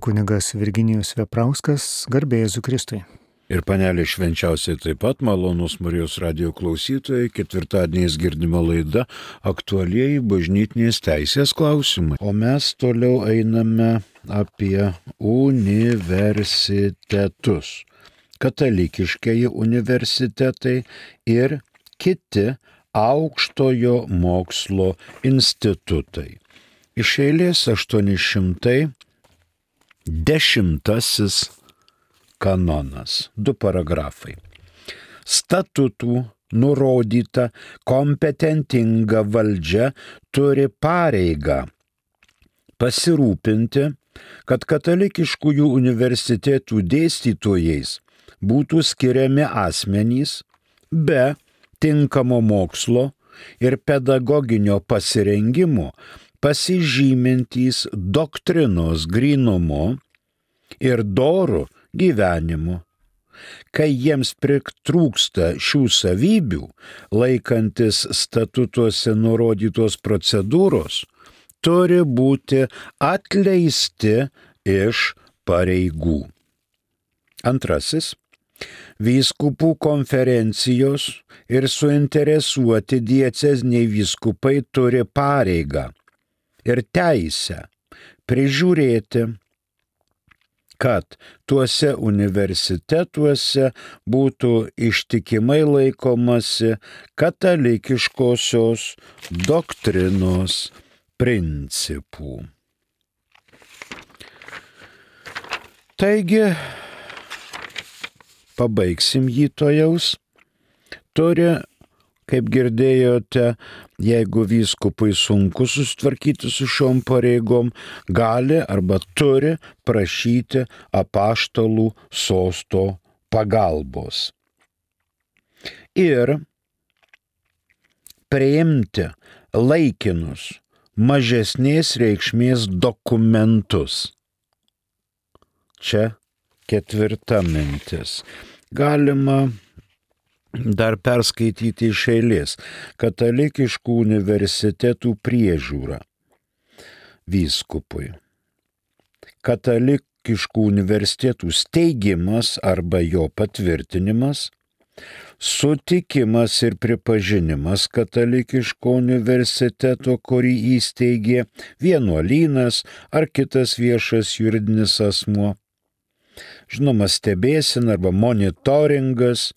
Kunigas Virginijus Veprauskas, garbė Jėzui Kristui. Ir panelė švenčiausiai taip pat, malonus Marijos radijo klausytojai, ketvirtadieniais girdima laida aktualieji bažnytinės teisės klausimai. O mes toliau einame apie universitetus. Katalikiškieji universitetai ir kiti aukštojo mokslo institutai. Iš eilės 810 kanonas, 2 paragrafai. Statutų nurodyta kompetentinga valdžia turi pareigą pasirūpinti, kad katalikiškųjų universitetų dėstytojais būtų skiriami asmenys be tinkamo mokslo ir pedagoginio pasirengimo, pasižymintys doktrinos grynumu ir doru gyvenimu. Kai jiems pritrūksta šių savybių, laikantis statutuose nurodytos procedūros, turi būti atleisti iš pareigų. Antrasis. Vyskupų konferencijos ir suinteresuoti dieceziniai vyskupai turi pareigą ir teisę prižiūrėti, kad tuose universitetuose būtų ištikimai laikomasi katalikiškosios doktrinos principų. Taigi, pabaigsim jį tojaus. Turi, kaip girdėjote, jeigu vyskupui sunku susitvarkyti su šiom pareigom, gali arba turi prašyti apaštalų sosto pagalbos. Ir priimti laikinus mažesnės reikšmės dokumentus. Čia 4 mintis. Galima dar perskaityti iš eilės. Katalikiškų universitetų priežiūra vyskupui. Katalikiškų universitetų steigimas arba jo patvirtinimas, sutikimas ir pripažinimas katalikiško universiteto, kurį įsteigė vienuolynas ar kitas viešas juridinis asmuo. Žinoma, stebėsena arba monitoringas,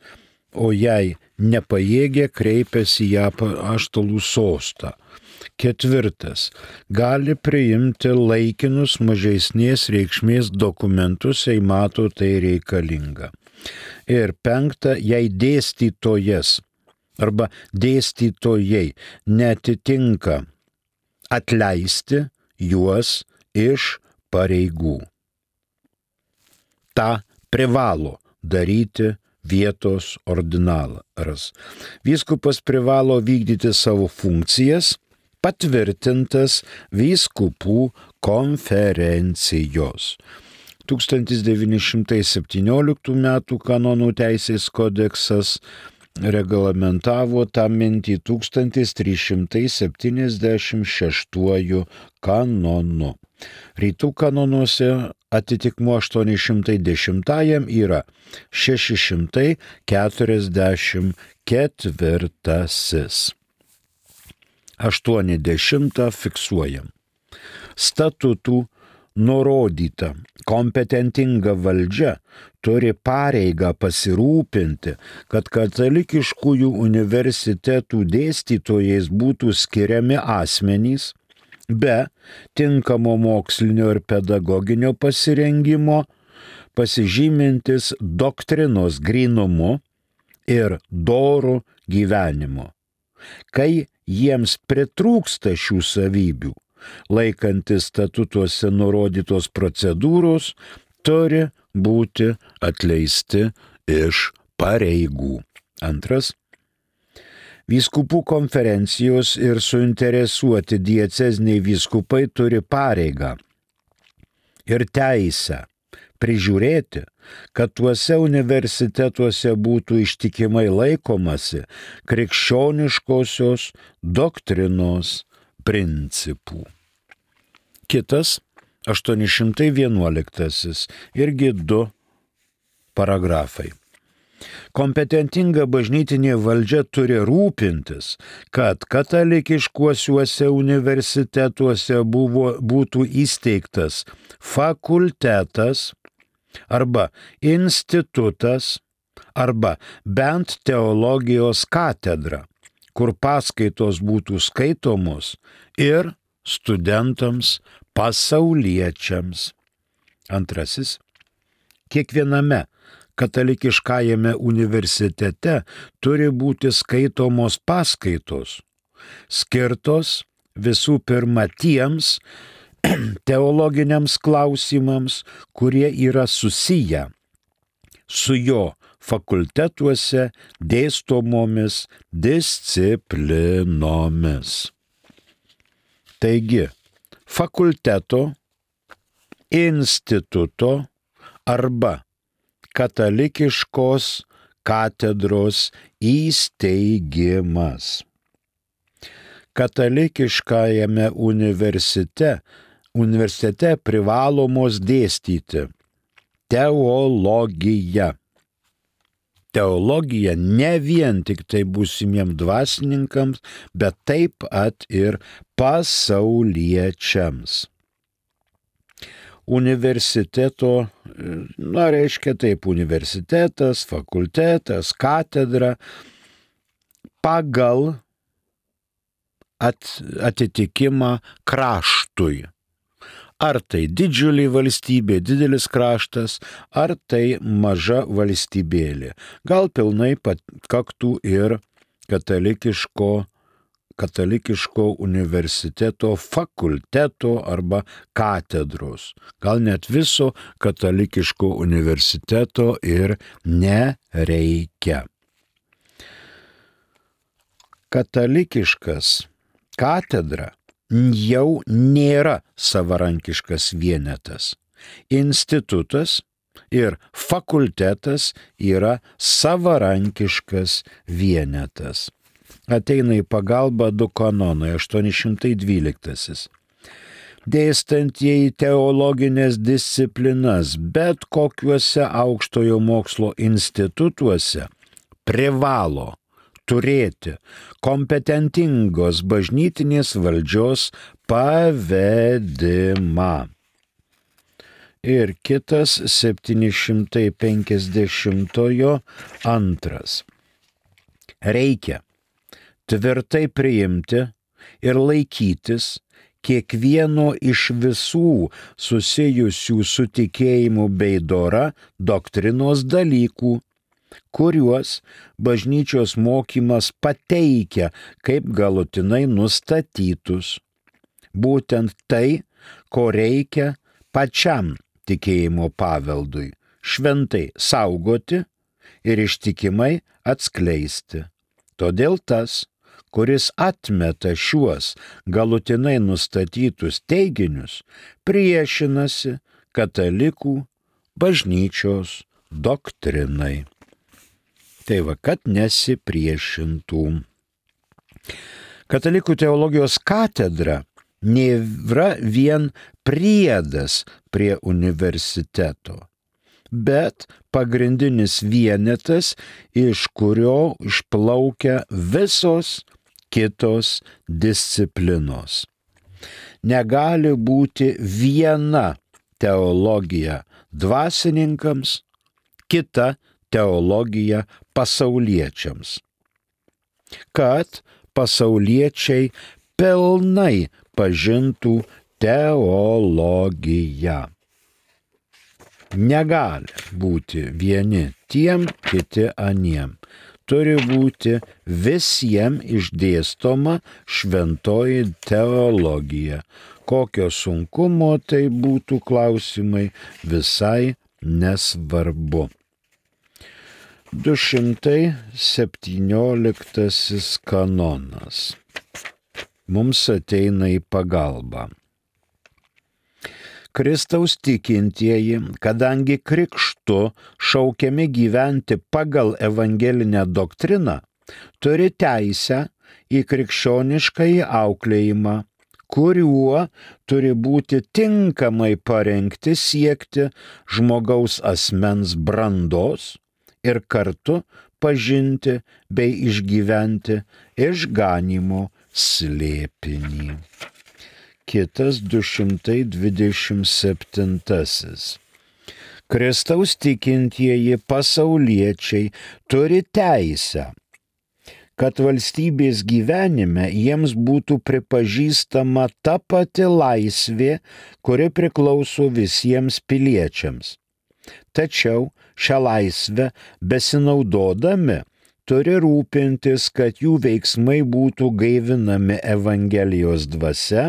o jei nepajėgia, kreipiasi į apaštalų sostą. 4. Gali priimti laikinus mažesnės reikšmės dokumentus, jei mato tai reikalinga. Ir 5. Jei dėstytojas arba dėstytojai netitinka, atleisti juos iš pareigų. Ta privalo daryti vietos ordinaras. Vyskupas privalo vykdyti savo funkcijas, patvirtintas vyskupų konferencijos. 1917 m. kanonų teisės kodeksas reglamentavo tą mintį 1376 kanonu. Rytų kanonuose atitikmuo 810 yra 644. 80 fiksuojam. Statutų nurodyta kompetentinga valdžia turi pareigą pasirūpinti, kad katalikiškųjų universitetų dėstytojais būtų skiriami asmenys be tinkamo mokslinio ir pedagoginio pasirengimo, pasižymintis doktrinos grynumu ir doru gyvenimu. Kai jiems pritrūksta šių savybių, laikantis statutuose nurodytos procedūros, turi būti atleisti iš pareigų. 2. Vyskupų konferencijos ir suinteresuoti dieceziniai vyskupai turi pareigą ir teisę prižiūrėti, kad tuose universitetuose būtų ištikimai laikomasi krikščioniškosios doktrinos principų. Kitas 811 irgi 2 paragrafai. Kompetentinga bažnytinė valdžia turi rūpintis, kad katalikiškuosiuose universitetuose būtų įsteigtas fakultetas arba institutas arba bent teologijos katedra, kur paskaitos būtų skaitomos ir studentams pasauliečiams. Antrasis, kiekviename katalikiškajame universitete turi būti skaitomos paskaitos, skirtos visų pirma tiems teologiniams klausimams, kurie yra susiję su jo fakultetuose dėstomomis disciplinomis. Taigi, fakulteto, instituto arba katalikiškos katedros įsteigimas. Katalikiškajame universitete privalomos dėstyti teologija. Teologija ne vien tik tai būsimiems dvasininkams, bet taip pat ir pasauliečiams. Universiteto, reiškia taip, universitetas, fakultetas, katedra pagal atitikimą kraštui. Ar tai didžiulė valstybė, didelis kraštas, ar tai maža valstybėlė. Gal pilnai pakaktų ir katalikiško universiteto fakulteto arba katedros. Gal net viso katalikiško universiteto ir nereikia. Katalikiškas katedra jau nėra savarankiškas vienetas. Institutas ir fakultetas yra savarankiškas vienetas. Ateina į pagalbą 2 kanonai, 812. Dėstantieji teologinės disciplinas bet kokiuose aukštojo mokslo institutuose privalo turėti kompetentingos bažnytinės valdžios pavedimą. Ir kitas 752. Reikia tvirtai priimti ir laikytis kiekvieno iš visų susijusių su tikėjimu bei dora doktrinos dalykų, kuriuos bažnyčios mokymas pateikia kaip galutinai nustatytus. Būtent tai, ko reikia pačiam tikėjimo paveldui šventai saugoti ir ištikimai atskleisti. Todėl tas, kuris atmeta šiuos galutinai nustatytus teiginius, priešinasi katalikų bažnyčios doktrinai. Tai va, kad nesipriešintų. Katalikų teologijos katedra nėra vien priedas prie universiteto, bet pagrindinis vienetas, iš kurio išplaukia visos kitos disciplinos. Negali būti viena teologija dvasininkams, kita teologija pasauliečiams, kad pasauliečiai pilnai pažintų teologiją. Negali būti vieni tiem, kiti aniem. Turi būti visiems išdėstoma šventoji teologija. Kokio sunkumo tai būtų klausimai, visai nesvarbu. 217 kanonas mums ateina į pagalbą. Kristaus tikintieji, kadangi krikštu šaukiami gyventi pagal evangelinę doktriną, turi teisę į krikščioniškąjį auklėjimą, kuriuo turi būti tinkamai parengti siekti žmogaus asmens brandos ir kartu pažinti bei išgyventi išganymo slėpinį. Kitas 227. Kristaus tikintieji pasauliečiai turi teisę, kad valstybės gyvenime jiems būtų pripažįstama ta pati laisvė, kuri priklauso visiems piliečiams. Tačiau šią laisvę besinaudodami turi rūpintis, kad jų veiksmai būtų gaivinami Evangelijos dvasia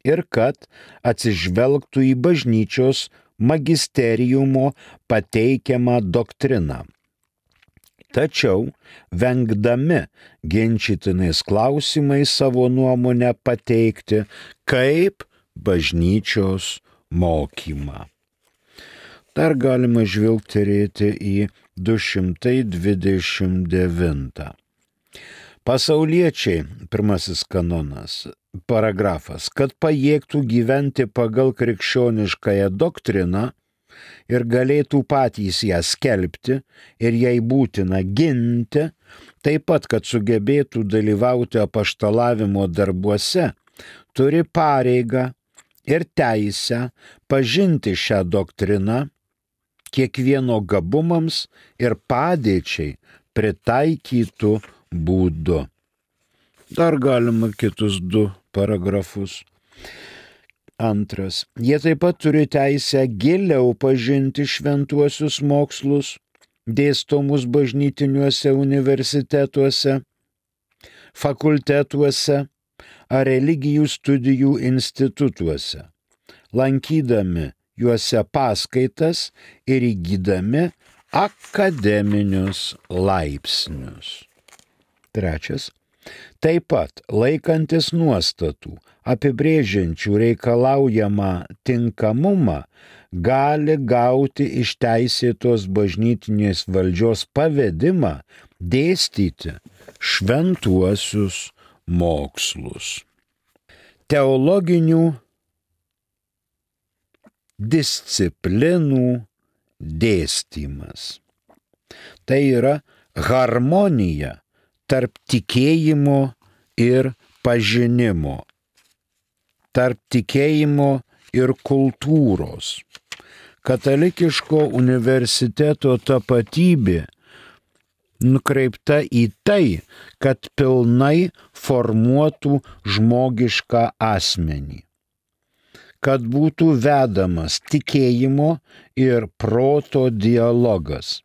ir kad atsižvelgtų į bažnyčios magisteriumo pateikiamą doktriną. Tačiau, vengdami ginčytinais klausimais savo nuomonę pateikti kaip bažnyčios mokymą. Dar galima žvilgterėti į 229. Pasauliečiai, pirmasis kanonas, paragrafas, kad pajėgtų gyventi pagal krikščioniškąją doktriną ir galėtų patys ją skelbti ir jai būtina ginti, taip pat, kad sugebėtų dalyvauti apaštalavimo darbuose, turi pareigą ir teisę pažinti šią doktriną kiekvieno gabumams ir padėčiai pritaikytų būdu. Dar galima kitus 2 paragrafus. Antras. Jie taip pat turi teisę giliau pažinti šventuosius mokslus, dėstomus bažnytiniuose universitetuose, fakultetuose ar religijų studijų institutuose, lankydami juose paskaitas ir įgydami akademinius laipsnius. Trečias. Taip pat laikantis nuostatų, apibrėžiančių reikalaujamą tinkamumą, gali gauti iš teisėtos bažnytinės valdžios pavedimą dėstyti šventuosius mokslus. Teologinių disciplinų dėstymas. Tai yra harmonija tarp tikėjimo ir pažinimo, tarp tikėjimo ir kultūros. Katalikiško universiteto tapatybė nukreipta į tai, kad pilnai formuotų žmogišką asmenį, kad būtų vedamas tikėjimo ir proto dialogas.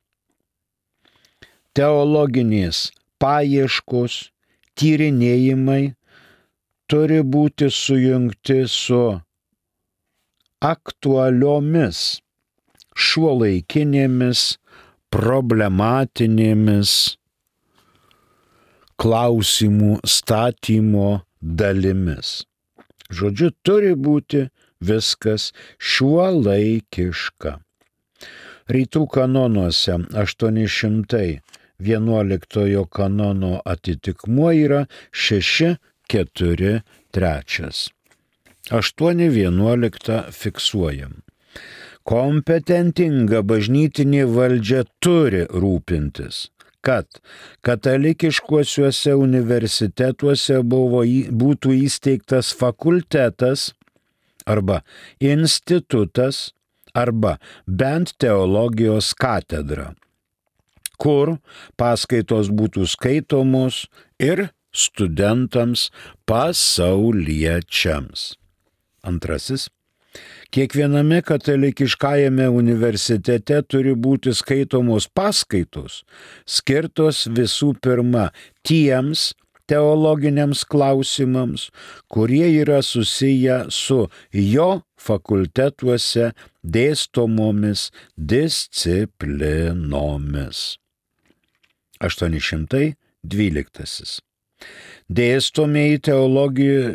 Teologinės paieškos, tyrinėjimai turi būti sujungti su aktualiomis šiuolaikinėmis problematinėmis klausimų statymo dalimis. Žodžiu, turi būti viskas šiuolaikiška. Rytų kanonuose 811 kanono atitikmuo yra 643. 8.11 fiksuojam. Kompetentinga bažnytinė valdžia turi rūpintis, kad katalikiškuosiuose universitetuose būtų įsteigtas fakultetas arba institutas arba bent teologijos katedra, kur paskaitos būtų skaitomos ir studentams pasauliečiams. Antrasis. Kiekviename katalikiškajame universitete turi būti skaitomos paskaitos, skirtos visų pirma tiems teologiniams klausimams, kurie yra susiję su jo fakultetuose dėstomomis disciplinomis. 812.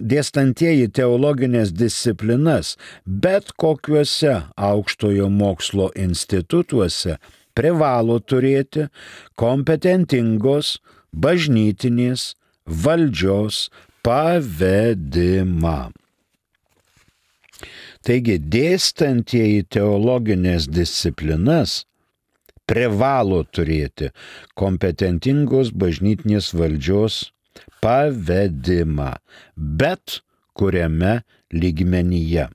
Dėstantieji teologinės disciplinas bet kokiuose aukštojo mokslo institutuose privalo turėti kompetentingos bažnytinės valdžios pavedimą. Taigi dėstantieji teologinės disciplinas privalo turėti kompetentingos bažnytinės valdžios pavedimą, bet kuriame lygmenyje.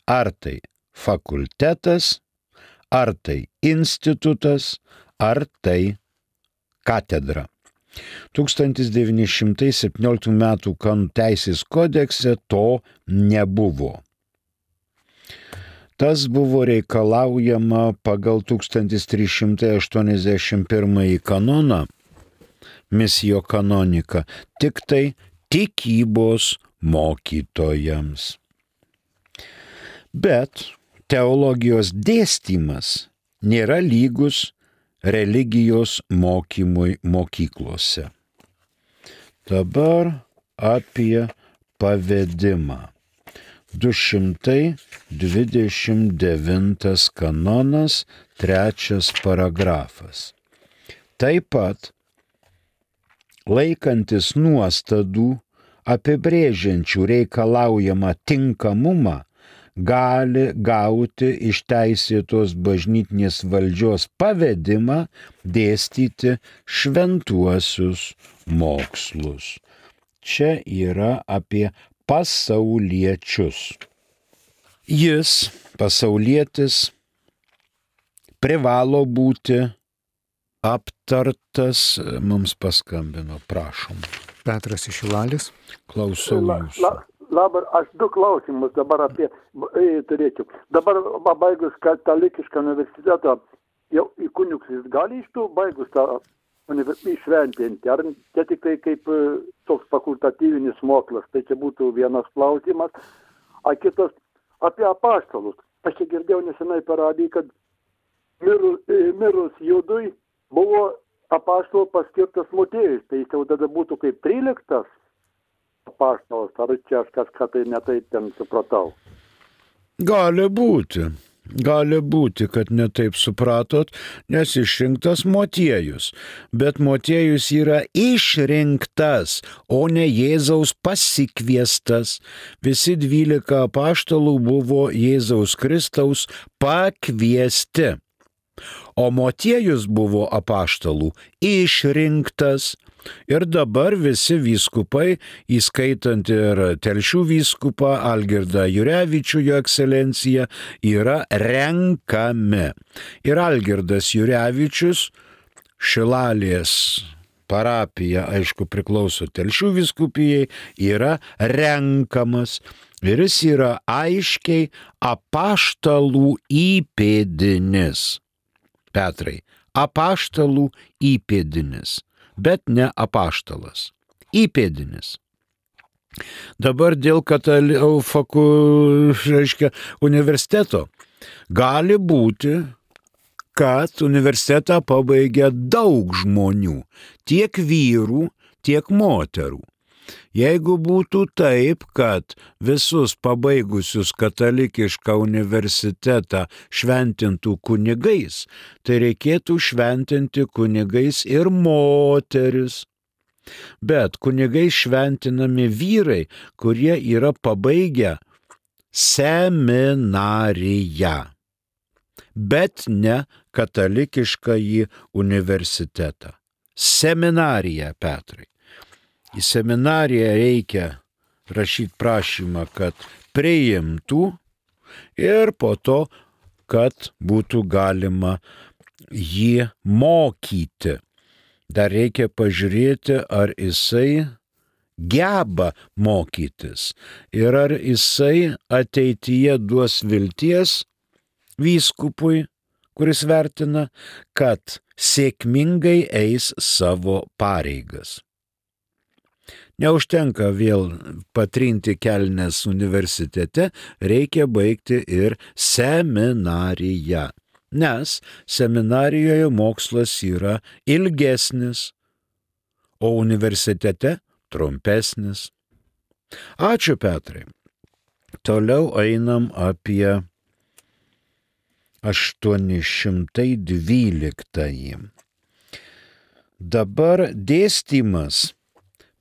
Ar tai fakultetas, ar tai institutas, ar tai katedra. 1917 m. Kanonų teisės kodekse to nebuvo. Tas buvo reikalaujama pagal 1381 kanoną, misijo kanonika, tik tai tikybos mokytojams. Bet teologijos dėstymas nėra lygus religijos mokymui mokyklose. Dabar apie pavedimą. 229 kanonas, 3 paragrafas. Taip pat, laikantis nuostadų apibrėžiančių reikalaujamą tinkamumą, gali gauti iš teisėtos bažnytinės valdžios pavedimą dėstyti šventuosius mokslus. Čia yra apie pasauliečius. Jis, pasaulietis, privalo būti aptartas, mums paskambino, prašom. Petras iš Šilalės. Klausau jūsų. Dabar aš 2 klausimus dabar apie turėčiau. Dabar baigus katalikišką universitetą, jau į kunigus jis gali iš tų baigus tą išventinti, ar čia tik tai kaip toks fakultatyvinis mokslas, tai čia būtų vienas klausimas. A kitas apie apaštalus. Aš čia girdėjau nesenai per radiją, kad mirus Judui buvo apaštalų paskirtas Motiejus, tai jis jau tada būtų kaip 13 apaštalas, ar čia aš kažką tai netaip ten supratau. Gali būti, kad netaip supratot, nes išrinktas Motiejus, bet Motiejus yra išrinktas, o ne Jėzaus pasikviestas. Visi 12 apaštalų buvo Jėzaus Kristaus pakviesti, o Motiejus buvo apaštalų išrinktas. Ir dabar visi vyskupai, įskaitant ir Telšių vyskupą Algirdą Jurevičių, jo ekscelenciją, yra renkami. Ir Algirdas Jurevičius, Šilalės parapija, aišku, priklauso Telšių vyskupijai, yra renkamas. Ir jis yra aiškiai apaštalų įpėdinis. Petrai, apaštalų įpėdinis. Bet ne apaštalas. Įpėdinis. Dabar dėl universiteto gali būti, kad universitetą pabaigia daug žmonių, tiek vyrų, tiek moterų. Jeigu būtų taip, kad visus pabaigusius katalikišką universitetą šventintų kunigais, tai reikėtų šventinti kunigais ir moteris. Bet kunigais šventinami vyrai, kurie yra pabaigę seminariją, bet ne katalikiškąjį universitetą. Seminarija, Petrai. Į seminariją reikia rašyti prašymą, kad priimtų ir po to, kad būtų galima jį mokyti. Dar reikia pažiūrėti, ar jisai geba mokytis ir ar jisai ateityje duos vilties vyskupui, kuris vertina, kad sėkmingai eis savo pareigas. Neužtenka vėl patrinti kelnes universitete, reikia baigti ir seminariją, nes seminarijoje mokslas yra ilgesnis, o universitete trumpesnis. Ačiū, Petrai. Toliau einam apie 812. Dabar dėstymas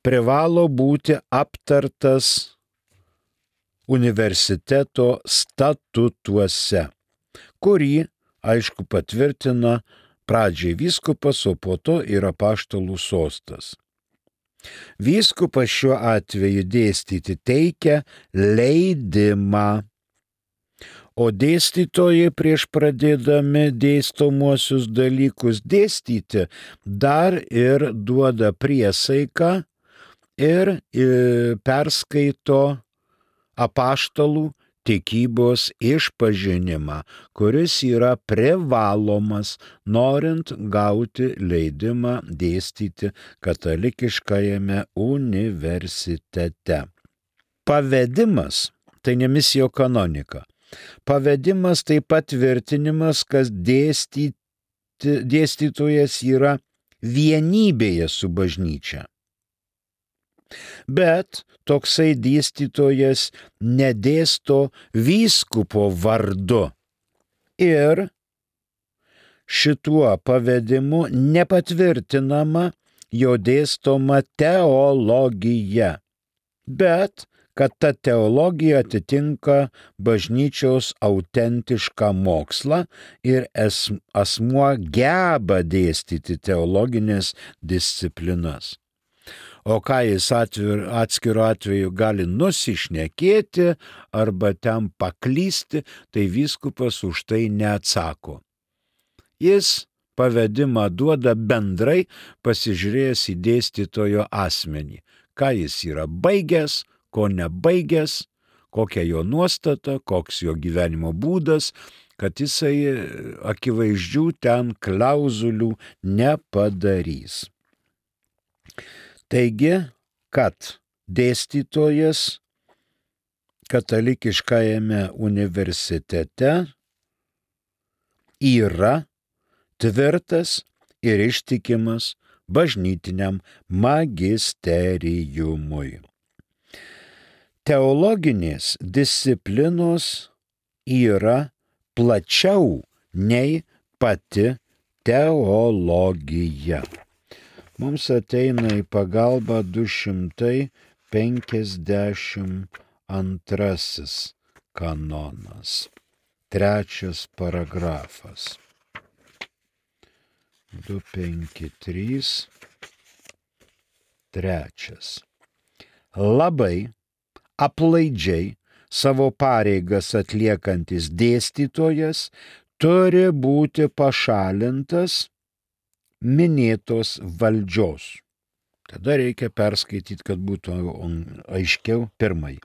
privalo būti aptartas universiteto statutuose, kurį, aišku, patvirtina pradžiai vyskupas, o po to ir apaštalų sostas. Vyskupas šiuo atveju dėstyti teikia leidimą, o dėstytojai prieš pradėdami dėstomuosius dalykus dėstyti dar ir duoda priesaiką ir perskaito apaštalų tikybos išpažinimą, kuris yra privalomas, norint gauti leidimą dėstyti katalikiškajame universitete. Pavedimas – tai ne misijo kanonika. Pavedimas tai patvirtinimas, kad dėstytojas yra vienybėje su bažnyčia. Bet toksai dėstytojas nedėsto vyskupo vardu ir šituo pavedimu nepatvirtinama jo dėstoma teologija, bet kad ta teologija atitinka bažnyčios autentišką mokslą ir asmuo geba dėstyti teologinės disciplinas. O ką jis atskiru atveju gali nusišnekėti arba ten paklysti, tai vyskupas už tai neatsako. Jis pavedimą duoda bendrai pasižiūrėjęs į dėstytojo asmenį, ką jis yra baigęs, ko nebaigęs, kokia jo nuostata, koks jo gyvenimo būdas, kad jisai akivaizdžių ten klauzulių nepadarys. Taigi, kad dėstytojas katalikiškajame universitete yra tvirtas ir ištikimas bažnytiniam magisteriumui. Teologinės disciplinos yra plačiau nei pati teologija. Mums ateina į pagalbą 252 kanonas, 3 paragrafas. 253, 3. Labai aplaidžiai savo pareigas atliekantis dėstytojas turi būti pašalintas minėtos valdžios. Tada reikia perskaityti, kad būtų aiškiau pirmai.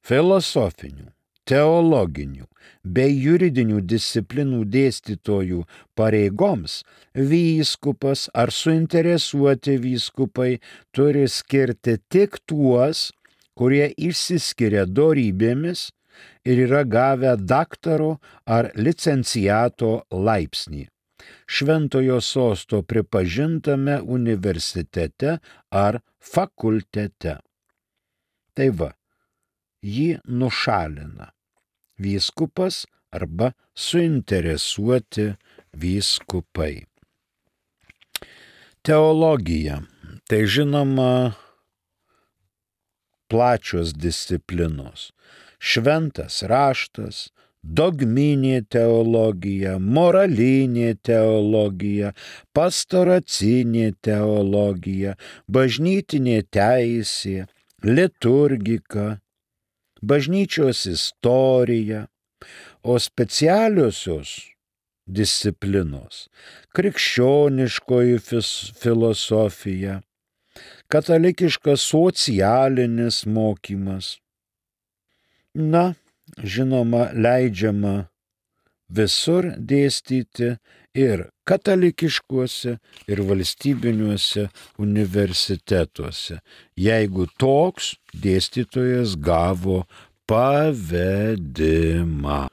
Filosofinių, teologinių bei juridinių disciplinų dėstytojų pareigoms vyskupas ar suinteresuoti vyskupai turi skirti tik tuos, kurie išsiskiria dorybėmis ir yra gavę daktaro ar licenciato laipsnį Šventojo sosto pripažintame universitete ar fakultete. Tai va, jį nušalina vyskupas arba suinteresuoti vyskupai. Teologija. Tai žinoma plačios disciplinos. Šventas raštas, dogminė teologija, moralinė teologija, pastoracinė teologija, bažnytinė teisė, liturgika, bažnyčios istorija, o specialiosios disciplinos – krikščioniškoji filosofija, katalikiškas socialinis mokymas. Na, žinoma, leidžiama visur dėstyti ir katalikiškuose, ir valstybiniuose universitetuose, jeigu toks dėstytojas gavo pavedimą.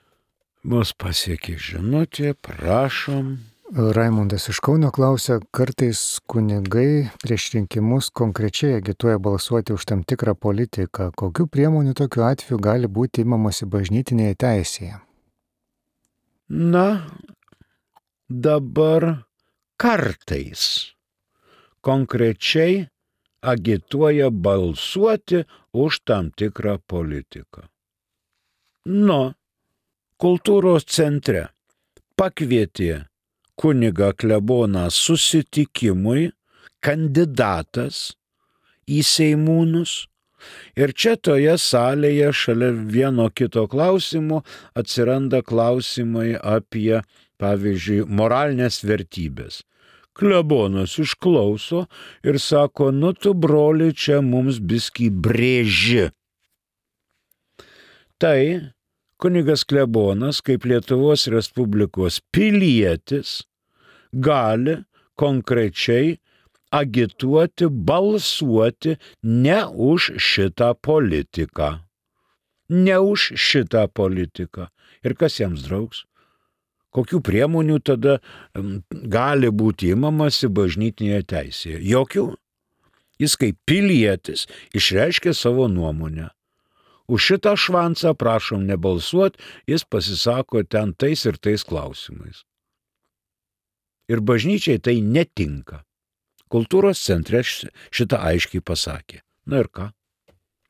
Mus pasiekė žinutė, prašom. Raimundas iš Kauno klausia, kartais kunigai prieš rinkimus konkrečiai agituoja balsuoti už tam tikrą politiką. Kokių priemonių tokiu atveju gali būti imamasi bažnytinėje teisėje? Na, dabar kartais konkrečiai agituoja balsuoti už tam tikrą politiką. Kultūros centre pakvietė kunigą kleboną susitikimui kandidatas į seimūnus. Ir čia toje salėje šalia vieno kito klausimo atsiranda klausimai apie, pavyzdžiui, moralinės vertybės. Klebonas išklauso ir sako, tu broli čia mums biskį brėži. Tai kunigas klebonas, kaip Lietuvos Respublikos pilietis, gali konkrečiai agituoti, balsuoti ne už šitą politiką. Ne už šitą politiką. Ir kas jiems draugs? Kokių priemonių tada gali būti imamasi bažnytinėje teisėje? Jokių. Jis kaip pilietis išreiškė savo nuomonę. Už šitą švancą prašom nebalsuoti, jis pasisako ten tais ir tais klausimais. Ir bažnyčiai tai netinka. Kultūros centre šitą aiškiai pasakė. Na ir ką?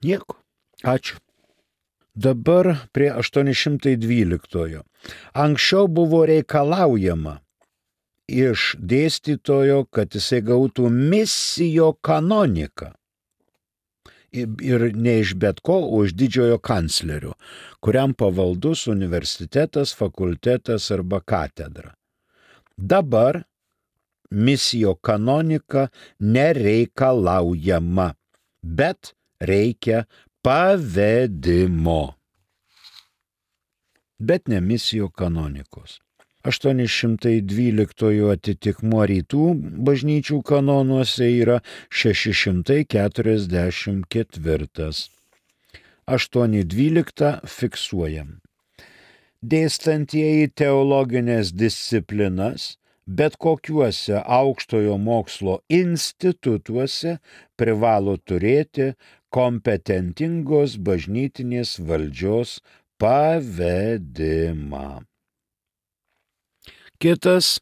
Nieko. Ačiū. Dabar prie 812. Anksčiau buvo reikalaujama iš dėstytojo, kad jisai gautų misijo kanoniką. Ir ne iš bet ko, o iš didžiojo kanclerio, kuriam pavaldus universitetas, fakultetas arba katedra. Dabar misijo kanonika nereikalaujama, bet reikia pavedimo. Bet ne misijo kanonikos. 812 atitikmuo rytų bažnyčių kanonuose yra 644. 812 fiksuojam. Dėstantieji teologinės disciplinas bet kokiuose aukštojo mokslo institutuose privalo turėti kompetentingos bažnytinės valdžios pavedimą. Kitas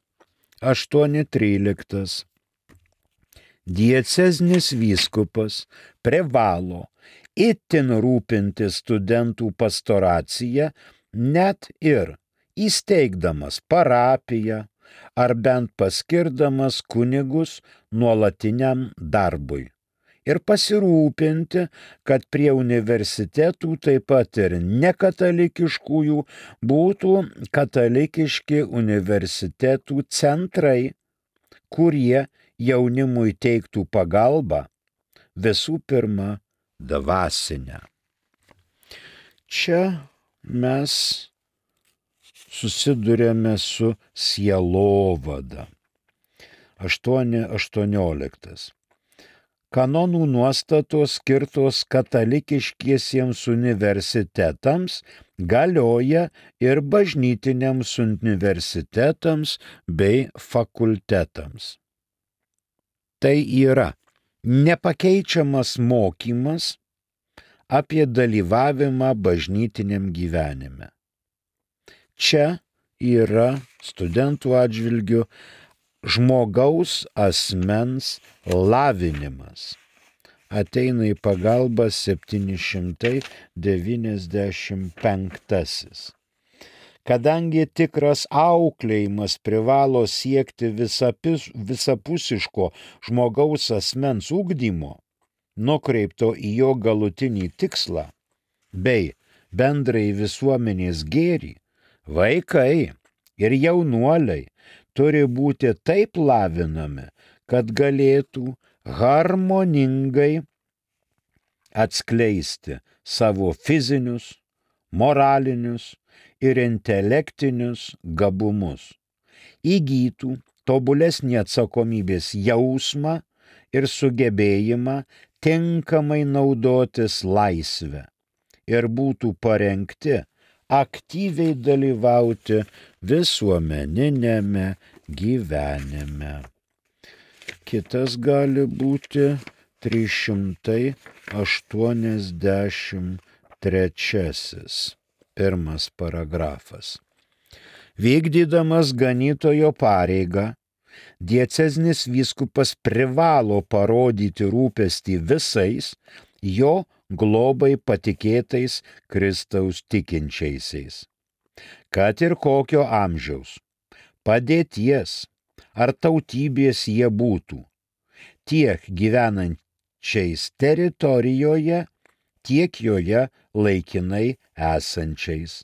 813. Dieceznis vyskupas privalo itin rūpinti studentų pastoraciją net ir įsteigdamas parapiją ar bent paskirdamas kunigus nuolatiniam darbui. Ir pasirūpinti, kad prie universitetų taip pat ir nekatalikiškųjų būtų katalikiški universitetų centrai, kurie jaunimui teiktų pagalbą, visų pirma, dvasinę. Čia mes susidurėme su sielovada. 8.18. Kanonų nuostatos skirtos katalikiškiesiems universitetams galioja ir bažnytiniams universitetams bei fakultetams. Tai yra nepakeičiamas mokymas apie dalyvavimą bažnytiniam gyvenime. Čia yra studentų atžvilgių žmogaus asmens lavinimas. Ateina į pagalbą 795. Kadangi tikras auklėjimas privalo siekti visapusiško žmogaus asmens ugdymo, nukreipto į jo galutinį tikslą, bei bendrai visuomenės gėrį, vaikai ir jaunuoliai turi būti taip lavinami, kad galėtų harmoningai atskleisti savo fizinius, moralinius ir intelektinius gabumus, įgytų tobulesnį atsakomybės jausmą ir sugebėjimą tinkamai naudotis laisvę ir būtų parengti aktyviai dalyvauti visuomeninėme gyvenime. Kitas gali būti 383. Pirmas paragrafas. Vykdydamas ganytojo pareigą, dieceznis vyskupas privalo parodyti rūpestį visais jo globai patikėtais Kristaus tikinčiaisiais. Kad ir kokio amžiaus, padėties ar tautybės jie būtų, tiek gyvenančiais teritorijoje, tiek joje laikinai esančiais,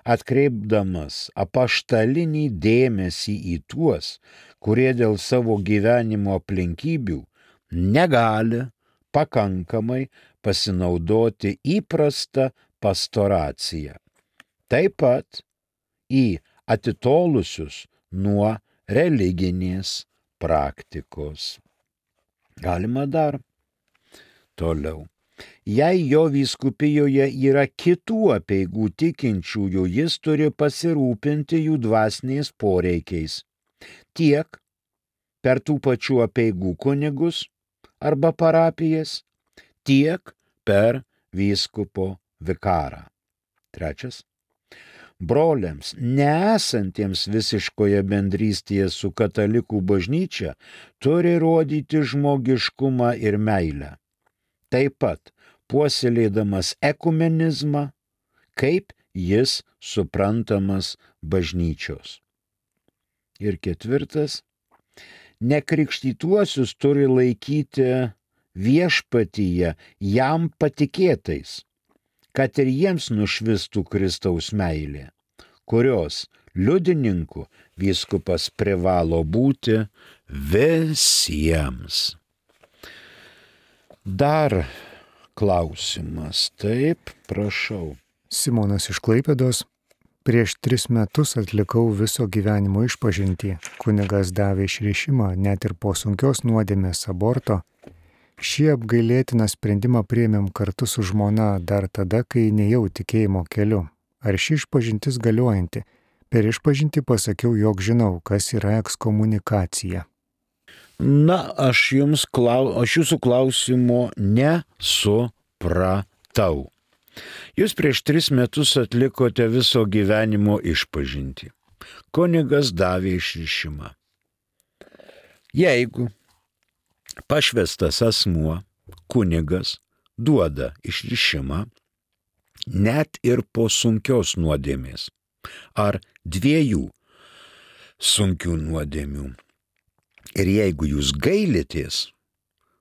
atkreipdamas apaštalinį dėmesį į tuos, kurie dėl savo gyvenimo aplinkybių negali pakankamai pasinaudoti įprastą pastoraciją. Taip pat į atitolusius nuo religinės praktikos. Galima dar toliau. Jei jo vyskupijoje yra kitų apeigų tikinčiųjų, jis turi pasirūpinti jų dvasiniais poreikiais. Tiek per tų pačių apeigų kunigus arba parapijas, tiek per vyskupo vikarą. Trečias. Broliams, nesantiems visiškoje bendrystėje su katalikų bažnyčia, turi rodyti žmogiškumą ir meilę. Taip pat puoselėdamas ekumenizmą, kaip jis suprantamas bažnyčios. Ir ketvirtas. Nekrikštytuosius turi laikyti viešpatyje jam patikėtais, kad ir jiems nušvistų Kristaus meilė, kurios liudininku vyskupas privalo būti visiems. Dar klausimas. Taip, prašau. Simonas iš Klaipėdos. Prieš 3 metus atlikau viso gyvenimo išpažintį. Kunigas davė išrišimą net ir po sunkios nuodėmės aborto. Šį apgailėtiną sprendimą priėmėm kartu su žmona dar tada, kai nėjau tikėjimo keliu. Ar ši išpažintis galiojanti? Per išpažintį pasakiau, jog žinau, kas yra ekskomunikacija. Na, aš jūsų klausimo nesupratau. Jūs prieš 3 metus atlikote viso gyvenimo išpažintį. Kunigas davė išrišimą. Jeigu pašvestas asmuo, kunigas, duoda išrišimą, net ir po sunkios nuodėmės ar 2 sunkių nuodėmių, ir jeigu jūs gailitės,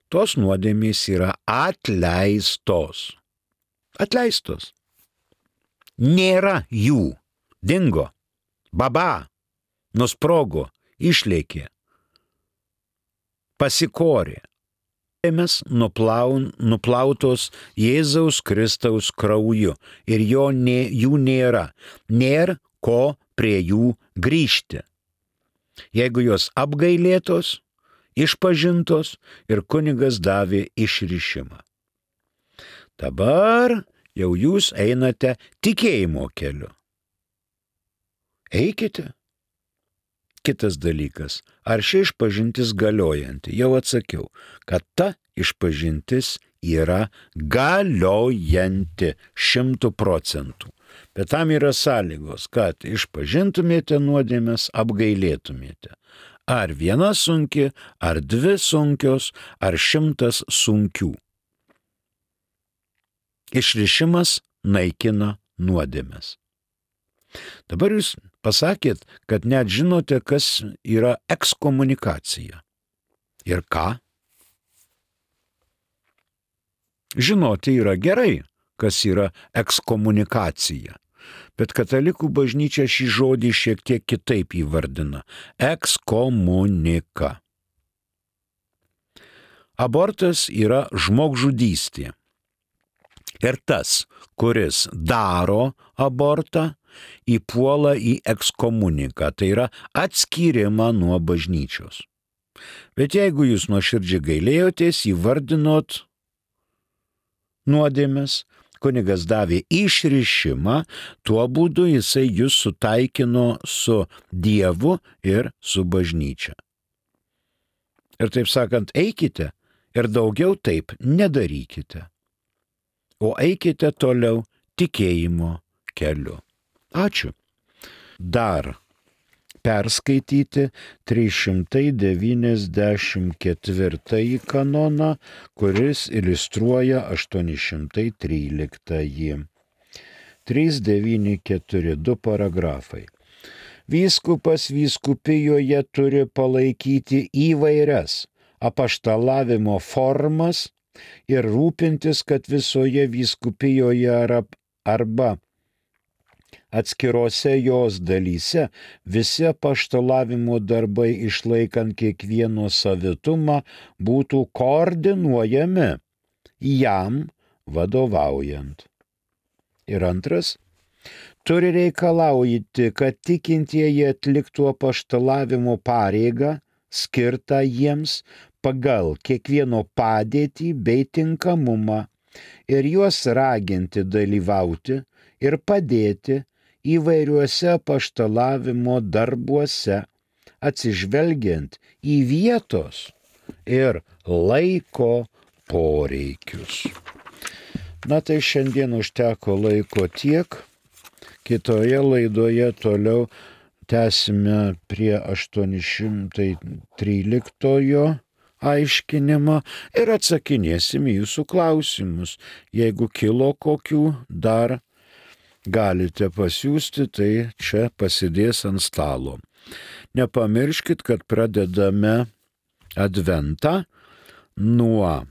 tos nuodėmės yra atleistos. Atleistos. Nėra jų. Dingo. Baba. Nusprogo. Išlėkė. Pasikorė. Žemės nuplautos Jėzaus Kristaus krauju ir jų nėra. Nėra ko prie jų grįžti. Jeigu jos apgailėtos, išpažintos ir kunigas davė išrišimą. Dabar jau jūs einate tikėjimo keliu. Eikite. Kitas dalykas, ar ši išpažintis galiojanti? Jau atsakiau, kad ta išpažintis yra galiojanti 100%. Bet tam yra sąlygos, kad išpažintumėte nuodėmes, apgailėtumėte. Ar 1 sunki, ar 2 sunkios, ar 100 sunkių. Išrišimas naikina nuodėmes. Dabar jūs pasakėt, kad net žinote, kas yra ekskomunikacija. Ir ką? Žinoti yra gerai, kas yra ekskomunikacija. Bet katalikų bažnyčia šį žodį šiek tiek kitaip įvardina. Ekskomunika. Abortas yra žmogžudystė. Ir tas, kuris daro abortą, įpuola į ekskomuniką, tai yra atskyrimą nuo bažnyčios. Bet jeigu jūs nuoširdžiai gailėjotės, įvardinot nuodėmes, kunigas davė išrišimą, tuo būdu jisai jūs sutaikino su Dievu ir su bažnyčia. Ir taip sakant, eikite ir daugiau taip nedarykite. O eikite toliau tikėjimo keliu. Ačiū. Dar perskaityti 394 kanoną, kuris iliustruoja 813. 394 du paragrafai. Vyskupas vyskupijoje turi palaikyti įvairias apaštalavimo formas ir rūpintis, kad visoje vyskupijoje arba atskirose jos dalyse visi apaštalavimo darbai, išlaikant kiekvieno savitumą, būtų koordinuojami jam vadovaujant. Ir antras, turi reikalauti, kad tikintieji atliktų apaštalavimo pareigą skirtą jiems pagal kiekvieno padėtį bei tinkamumą ir juos raginti dalyvauti ir padėti įvairiuose apaštalavimo darbuose, atsižvelgiant į vietos ir laiko poreikius. Na tai šiandien užteko laiko tiek. Kitoje laidoje toliau tęsime prie 813 aiškinimo ir atsakinėsim į jūsų klausimus. Jeigu kilo kokių dar, galite pasiųsti, tai čia pasidės ant stalo. Nepamirškit, kad pradedame adventą nuo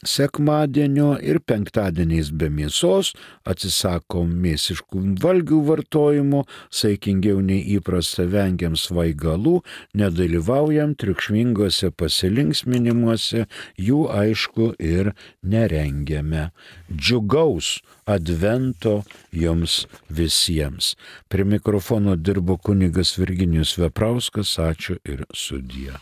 sekmadienio ir penktadieniais be mėsos, atsisakom mėsiškų valgių vartojimo, saikingiau nei įprasta vengiam svaigalų, nedalyvaujam triukšmingose pasilinksminimuose, jų aišku ir nerengiame. Džiugaus advento jums visiems. Prie mikrofono dirbo kunigas Virginijus Veprauskas, ačiū ir sudie.